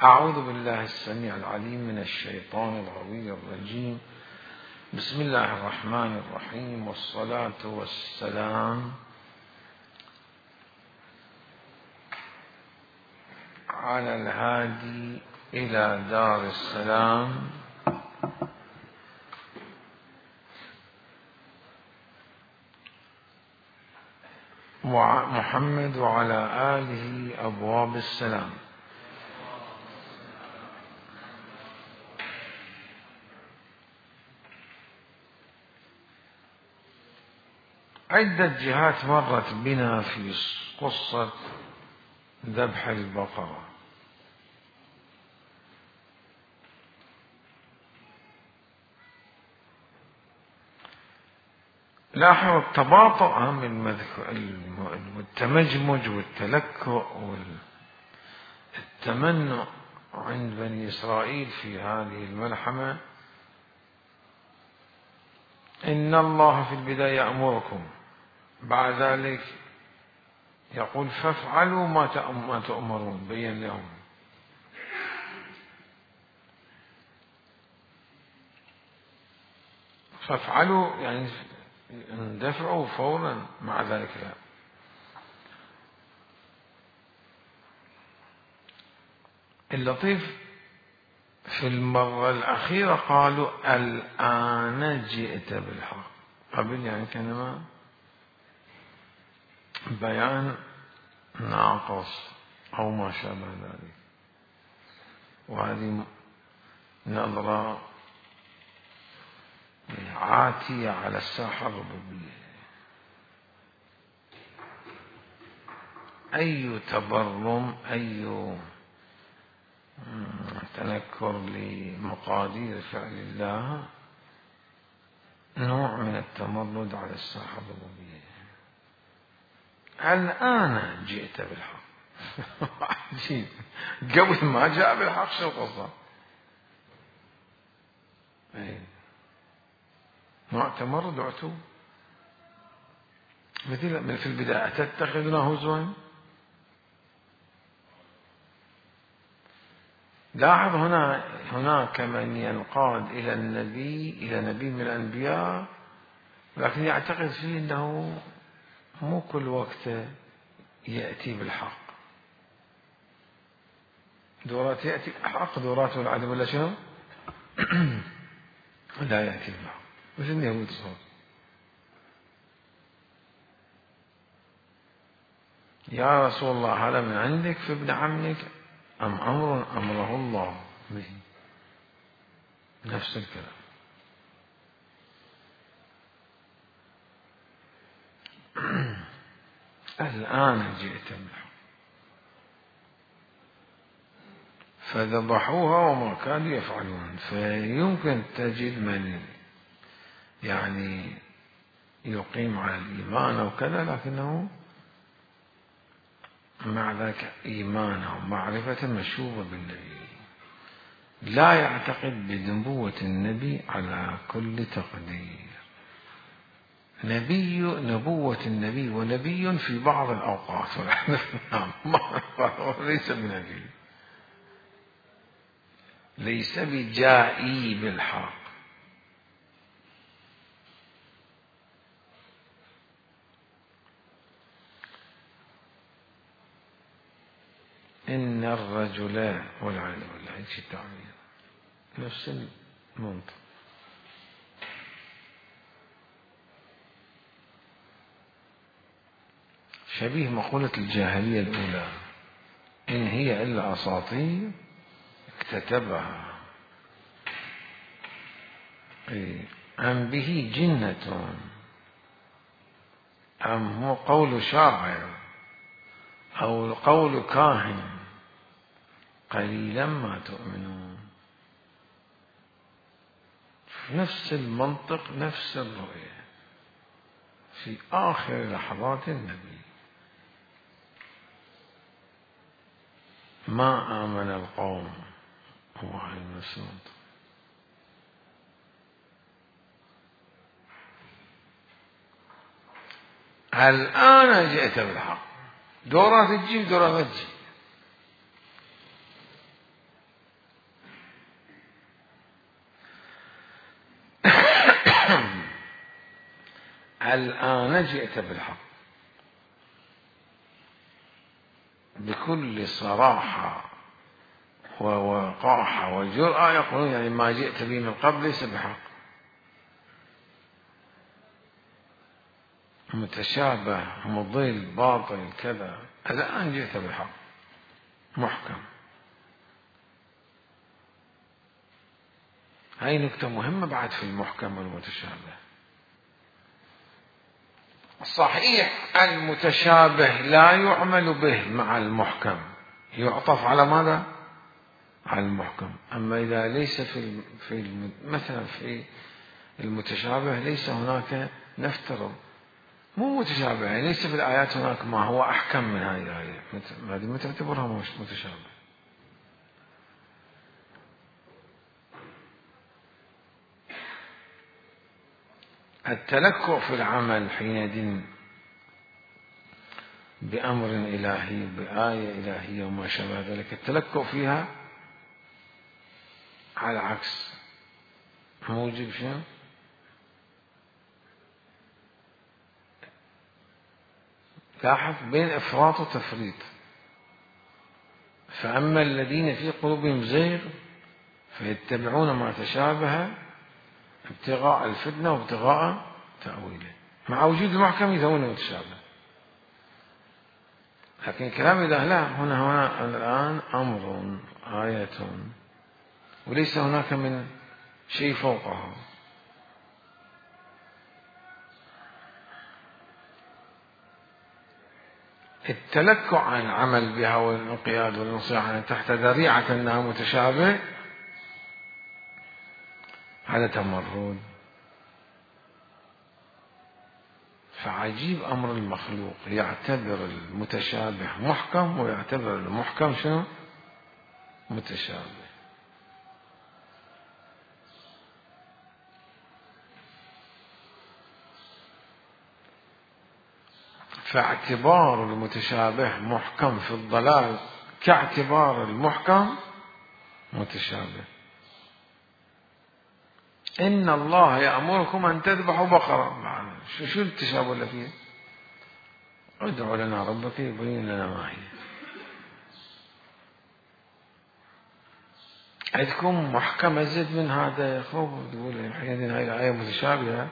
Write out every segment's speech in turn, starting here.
أعوذ بالله السميع العليم من الشيطان الغوي الرجيم. بسم الله الرحمن الرحيم، والصلاة والسلام على الهادي إلى دار السلام محمد وعلى آله أبواب السلام. عدة جهات مرت بنا في قصة ذبح البقرة. لاحظ التباطؤ من والتمجمج والتلكؤ والتمنع عند بني إسرائيل في هذه الملحمة. إن الله في البداية يأمركم، بعد ذلك يقول فافعلوا ما تؤمرون، بين لهم. فافعلوا يعني اندفعوا فورا، مع ذلك لا. اللطيف في المرة الأخيرة قالوا الآن جئت بالحق، قبل يعني كلمة بيان ناقص أو ما شابه ذلك. وهذه نظرة عاتية على الساحة الربوبية. أي تبرم، أي تنكر لمقادير فعل الله نوع من التمرد على الساحة الربوبية. الآن جئت بالحق عجيب، قبل ما جاء بالحق شو القصة؟ نوع تمرد وعتو، مثل في البداية أتتخذنا هزوا. لاحظ هناك من ينقاد إلى نبي من الأنبياء، لكن يعتقد فيه أنه مو كل وقت يأتي بالحق، دورات يأتي بالحق، دورات والعدم ولا شنو لا يأتي بالحق، مثل اليهود صار. يا رسول الله هل من عندك في ابن عمك أم أمره الله به؟ نفس الكلام. الآن جئت بالحق فذبحوها وما كانوا يفعلون. فيمكن تجد من يعني يقيم على الإيمان أو كذا، لكنه مع ذلك إيمانه ومعرفة مشوبة بالنبي، لا يعتقد بنبوة النبي على كل تقدير. نبوة النبي ونبي في بعض الأوقات ليس بنبي، ليس بجائي بالحق. إن الرجل والعياذ بالله هيك التعبير نفس المنطق. شبيه مقولة الجاهلية الأولى، إن هي إلا أساطير اكتتبها، أم به جنة، أم هو قول شاعر أو قول كاهن، قليلا ما تؤمنون. نفس المنطق، نفس الرؤية في آخر لحظات النبي. ما آمن القوم، هو هاي المسند. الآن جئت بالحق، دورات تجي دورات تجي. الآن جئت بالحق بكل صراحة ووقاحة وجرأة، يقولون يعني ما جئت به من قبل ليس بحق، متشابه مضل باطل كذا. الآن جئت بالحق محكم. هاي نكتة مهمة بعد في المحكم والمتشابه. صحيح المتشابه لا يعمل به مع المحكم، يعطف على ماذا؟ على المحكم. أما إذا ليس مثلا في المتشابه ليس هناك، نفترض مو متشابه، يعني ليس في الآيات هناك ما هو أحكم من هذه الآية، هذه ما تعتبرها متشابه. التلكؤ في العمل حينئذ بأمر إلهي بآية إلهية وما شابه ذلك، التلكؤ فيها على العكس موجب شنو؟ لاحظ بين إفراط وتفريط. فأما الذين في قلوبهم زيغ فيتبعون ما تشابه ابتغاء الفتنة وابتغاء تأويله، مع وجود المحكم يسوون المتشابه. لكن كلام الله لا، هنا الآن أمر آية وليس هناك من شيء فوقه. التلكؤ عن العمل بها والانقياد والانصياع تحت ذريعة أنها متشابه هذا تمرد. فعجيب أمر المخلوق، يعتبر المتشابه محكم ويعتبر المحكم شنو؟ متشابه. فاعتبار المتشابه محكم في الضلال كاعتبار المحكم متشابه. إن الله يأمركم أن تذبحوا بقرة. شو التشابه اللي فيه؟ ادعوا لنا ربك يبين لنا ما هي. عندكم محكم أزيد من هذا يا أخوة؟ تقول حينئذ هاي الآية متشابهة،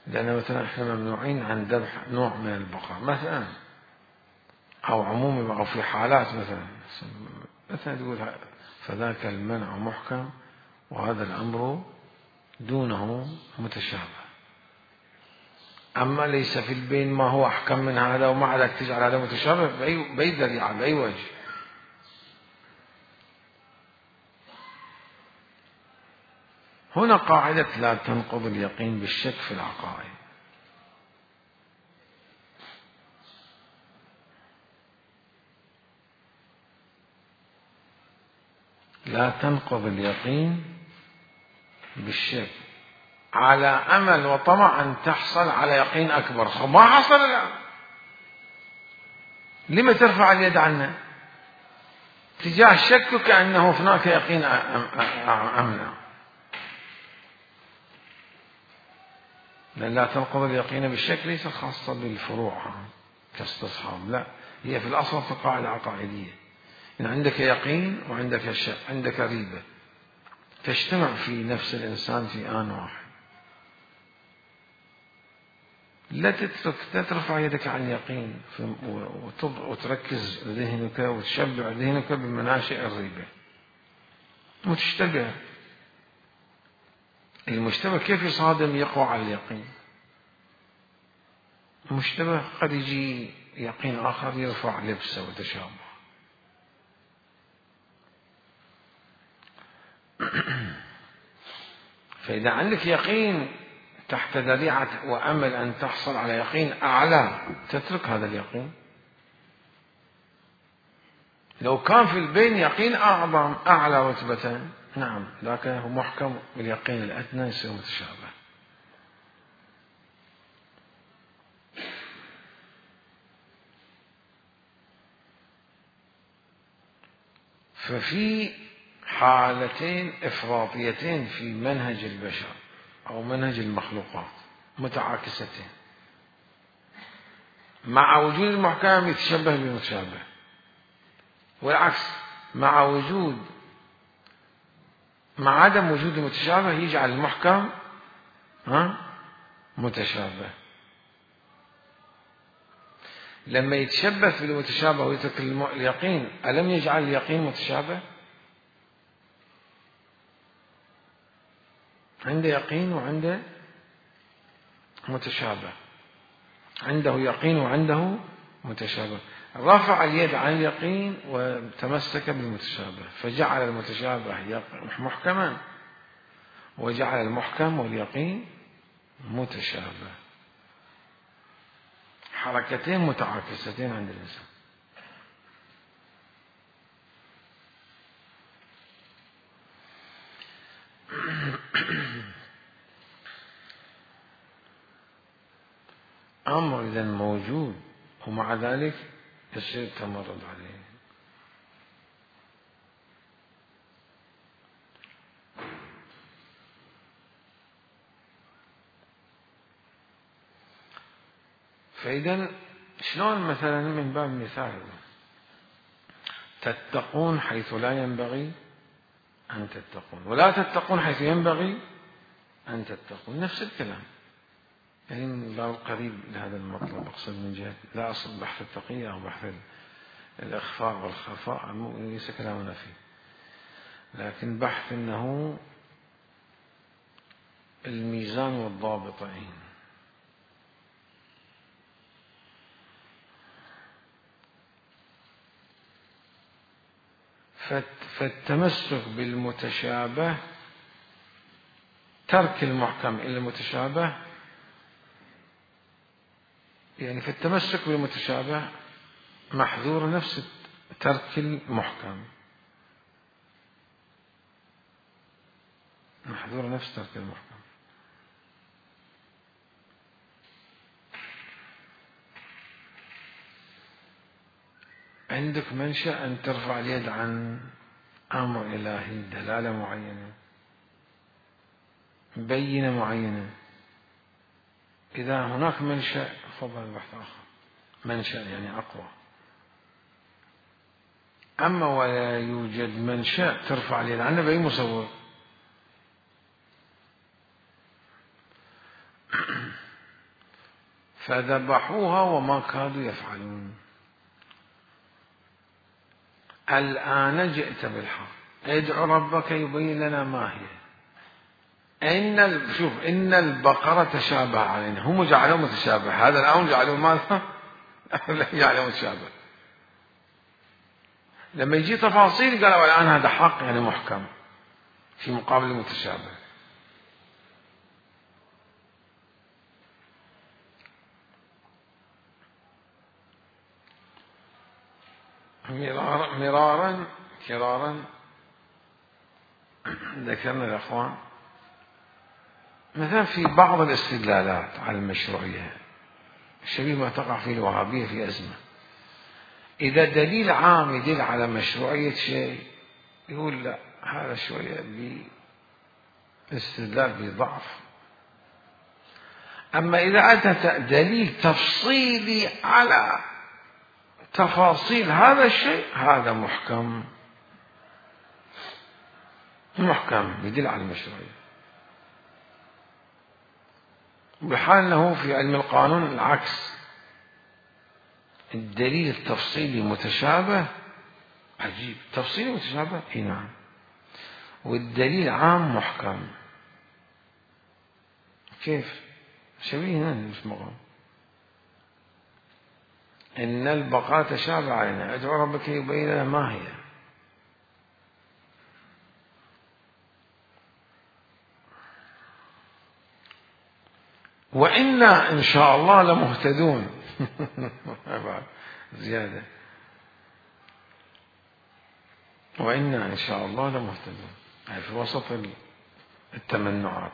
لأن مثلا احنا ممنوعين عن ذبح نوع من البقر مثلا، أو عموما أو في حالات مثلا تقول فذاك المنع محكم وهذا الأمر دونه متشابه. أما ليس في البين ما هو أحكم من هذا ومع ذلك تجعل هذا متشابه بأي ذريعة بأي وجه. هنا قاعدة لا تنقض اليقين بالشك في العقائد. لا تنقض اليقين بالشك على أمل وطمع أن تحصل على يقين أكبر. ما حصل الآن، لما ترفع اليد عنه تجاه شكك أنه هناك يقين أمنع؟ لأن لا تنقض اليقين بالشك ليس خاصة بالفروع كاستصحاب، لا، هي في الأصل في قاعدة عقائدية. إن عندك يقين وعندك شك، عندك ريبة تجتمع في نفس الإنسان في آن واحد. لا ترفع يدك عن يقين وتركز ذهنك وتشبع ذهنك بمناشئ الريبة. متشتبه، المشتبه كيف يصادم يقوى على اليقين؟ المشتبه قد يجي يقين آخر يرفع لبسه وتشابه. فإذا عندك يقين تحت ذريعة وأمل أن تحصل على يقين أعلى تترك هذا اليقين. لو كان في البين يقين أعظم أعلى رتبة، نعم، لكنه محكم باليقين الأدنى يصير متشابه. ففي حالتين إفراطيتين في منهج البشر أو منهج المخلوقات. متعاكستين، مع وجود المحكم يتشبه بالمتشابه، والعكس مع عدم وجود المتشابه يجعل المحكم متشابه. لما يتشبه بالمتشابه ويترك اليقين، ألم يجعل اليقين متشابه؟ عنده يقين وعنده متشابه، عنده يقين وعنده متشابه، رفع اليد عن اليقين وتمسك بالمتشابه، فجعل المتشابه محكما وجعل المحكم واليقين متشابه، حركتين متعاكستين عند الإنسان. أمر إذا موجود ومع ذلك يصير تمرد عليه. فإذا شلون مثلا من باب مثال تتقون حيث لا ينبغي أن تتقون، ولا تتقون حيث ينبغي أن تتقون، نفس الكلام، يعني من باب قريب لهذا المطلب. أقصد من جهة لا أقصد بحث التقية أو بحث الإخفاء والخفاء، ليس كلامنا فيه، لكن بحث أنه الميزان والضابطين. فالتمسك بالمتشابه، ترك المحكم إلى المتشابه، يعني في التمسك بالمتشابه محذور نفس ترك المحكم، محذور نفس ترك المحكم. عندك منشأ أن ترفع اليد عن أمر إلهي، دلالة معينة، بينة معينة، إذا هناك منشأ فضل البحث آخر، منشأ يعني أقوى. أما ولا يوجد منشأ ترفع اليد عنه بأي مصور، فذبحوها وما كادوا يفعلون. الآن جئت بالحق، ادع ربك يبين لنا ما هي. إن البقرة تشابه علينا، هم جعلوه متشابه، هذا الآن جعلوه ماذا؟ جعلوه متشابه. لما يجي تفاصيل قالوا الآن هذا حق يعني محكم في مقابل المتشابه. مرارا كرارا ذكرنا الأخوان مثلا في بعض الاستدلالات على المشروعية شبيه ما تقع فيه الوهابية في أزمة. إذا دليل عام يدل على مشروعية شيء يقول لا، هذا شوية باستدلال بضعف. أما إذا أتى دليل تفصيلي على تفاصيل هذا الشيء، هذا محكم يدل على المشروعية. بحال أنه في علم القانون العكس، الدليل التفصيلي متشابه، عجيب، تفصيلي متشابه، اي نعم، والدليل عام محكم. كيف؟ شبيه هنا مش مقام. إن البقرة تشابه علينا، ادعو ربك يبين لنا ما هي. وإنا إن شاء الله لمهتدون. زيادة، وإنا إن شاء الله لمهتدون، يعني في وسط التمنعات.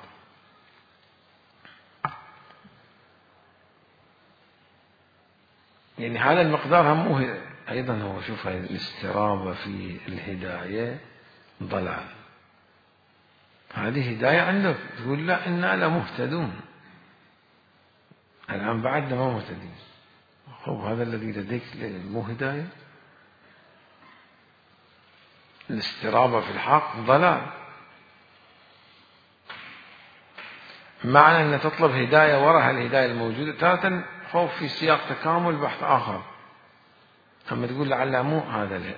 يعني هذا المقدار همه أيضا هو، شوف هذه الاسترابة في الهداية ضلال. هذه هداية عندك تقول لا إنا لمهتدون، الآن بعدنا ما مهتدين. خب هذا الذي لديك مو هداية؟ الاسترابة في الحق ضلال. معنى أن تطلب هداية وراء الهداية الموجودة تارة خوف في سياق تكامل بحث آخر، أما تقول لعل مو هذا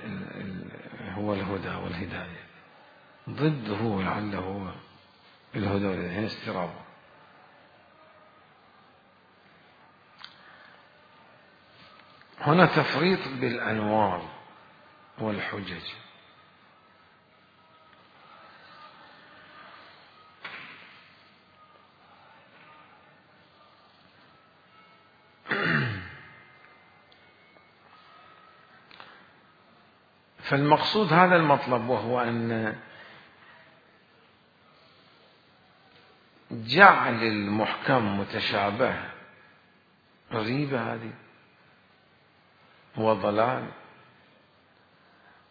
هو الهدى والهداية، ضده لعله هو الهدى والهداية، استرابة. هنا تفريط بالأنوار والحجج. فالمقصود هذا المطلب، وهو أن جعل المحكم متشابه ريبة هذه وضلال،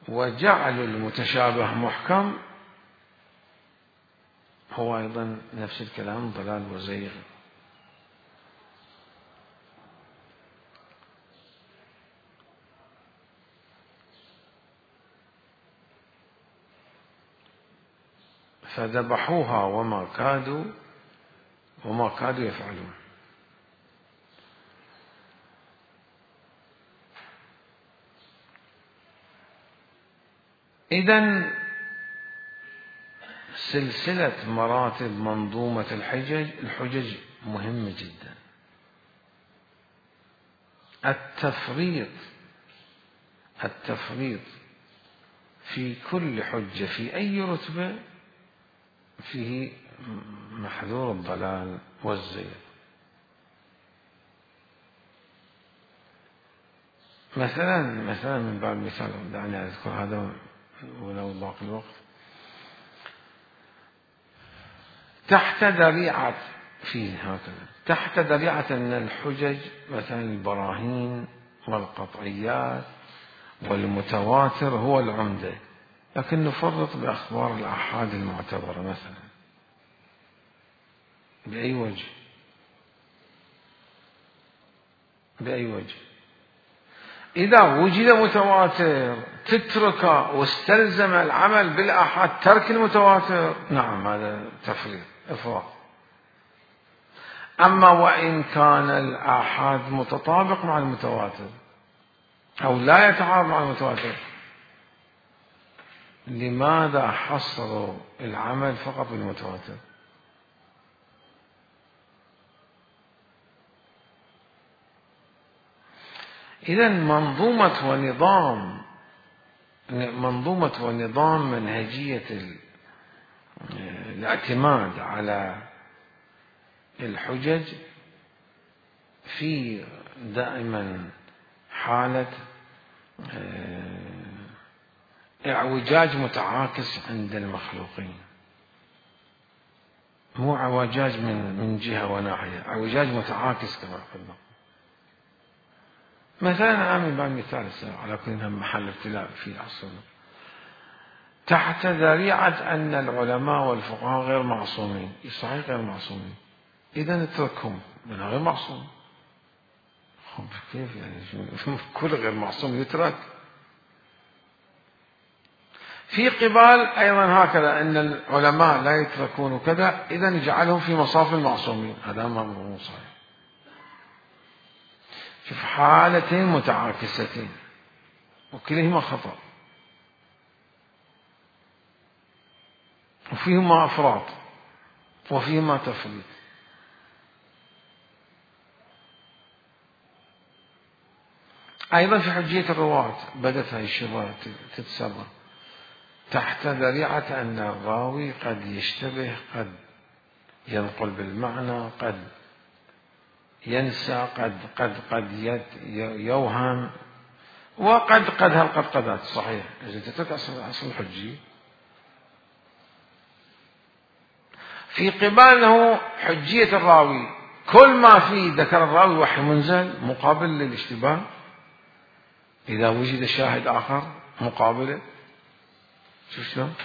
وجعل المتشابه محكم هو أيضا نفس الكلام، ضلال وزيغ. فذبحوها وما كادوا يفعلون. إذن سلسلة مراتب منظومة الحجج مهمة جدا. التفريط في كل حجة في أي رتبة فيه محذور الضلال والزيغ. مثلا من باب المثال، دعني أذكر هذا ولو باقي الوقت. تحت ذريعة أن الحجج مثلا البراهين والقطعيات والمتواتر هو العمدة، لكن نفرط بأخبار الآحاد المعتبرة مثلا. بأي وجه؟ إذا وجد متواتر تترك واستلزم العمل بالآحاد ترك المتواتر، نعم هذا تفريط إفراط. أما وإن كان الآحاد متطابق مع المتواتر أو لا يتعارض مع المتواتر، لماذا حصروا العمل فقط بالمتواتر؟ إذن منظومة ونظام منهجية الاعتماد على الحجج في دائما حالة اعوجاج متعاكس عند المخلوقين، مو اعوجاج من جهة وناحية، اعوجاج متعاكس كما قلنا. مثلا أعمل بعض مثال على كل محل ابتلاء في عصرنا، تحت ذريعة أن العلماء والفقهاء غير معصومين. صحيح غير معصومين، إذا اتركهم، من غير معصوم. خب كيف يعني كل غير معصوم يترك؟ في قبال أيضا هكذا أن العلماء لا يتركون وكذا، إذا نجعلهم في مصاف المعصومين، هذا ما هو صحيح. في حالتين متعاكستين وكلهما خطأ، وفيهما أفراط وفيهما تفريط. أيضا في حجية الرواة بدت هذه الشبهة تتسرى تحت ذريعة أن الراوي قد يشتبه، قد ينقل بالمعنى، قد ينسى، قد يوهم، وقد هالقدقدات. صحيح إذا تترك أصل الحجي. في قباله حجية الراوي، كل ما فيه ذكر الراوي وحي منزل مقابل للاشتباه، إذا وجد شاهد آخر مقابله. شوف شلون؟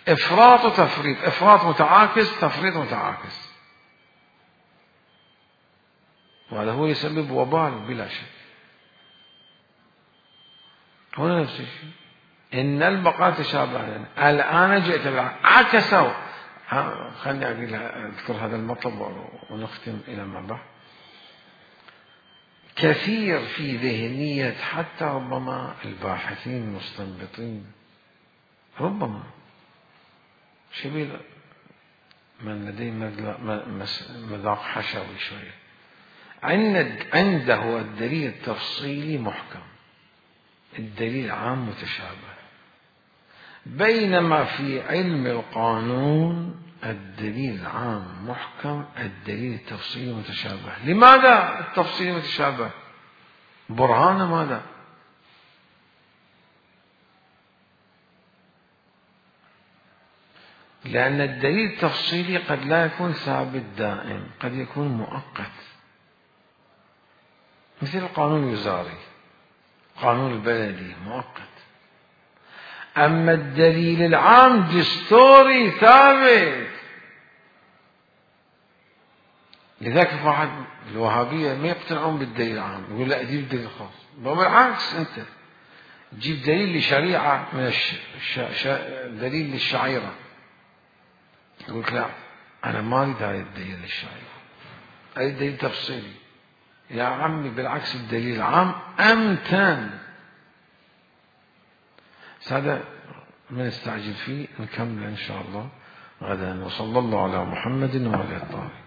إفراط وتفريط، إفراط متعاكس، تفريط متعاكس. وهذا هو يسبب وبال بلا شك. هنا نفس الشيء، إن البقاء تشابه. الآن جئت عكسوا. خلني أذكر هذا المطلب ونختم إلى ما بعد. كثير في ذهنية حتى ربما الباحثين المستنبطين، ربما شبيه من لديه مذاق حشوي شوية، عنده الدليل التفصيلي محكم، الدليل عام متشابه، بينما في علم القانون الدليل عام محكم، الدليل التفصيلي متشابه. لماذا التفصيلي متشابه؟ برهان ماذا؟ لأن الدليل التفصيلي قد لا يكون ثابت دائم، قد يكون مؤقت، مثل القانون الوزاري، قانون البلدي مؤقت. أما الدليل العام دستوري ثابت. لذلك واحد الوهابية ما يقتنعون بالدليل العام، يقول لا أجيب دليل خاص. بالعكس، أنت جيب دليل لشريعة من دليل للشعيرة، يقول لا أنا ما أريد هذا الدليل للشعيرة، أريد دليل تفصيلي. يا عمي بالعكس، الدليل العام أمتن. هذا ما نستعجل فيه، نكمل إن شاء الله غدا. وصلى الله على محمد وعلى آله الطاهرين.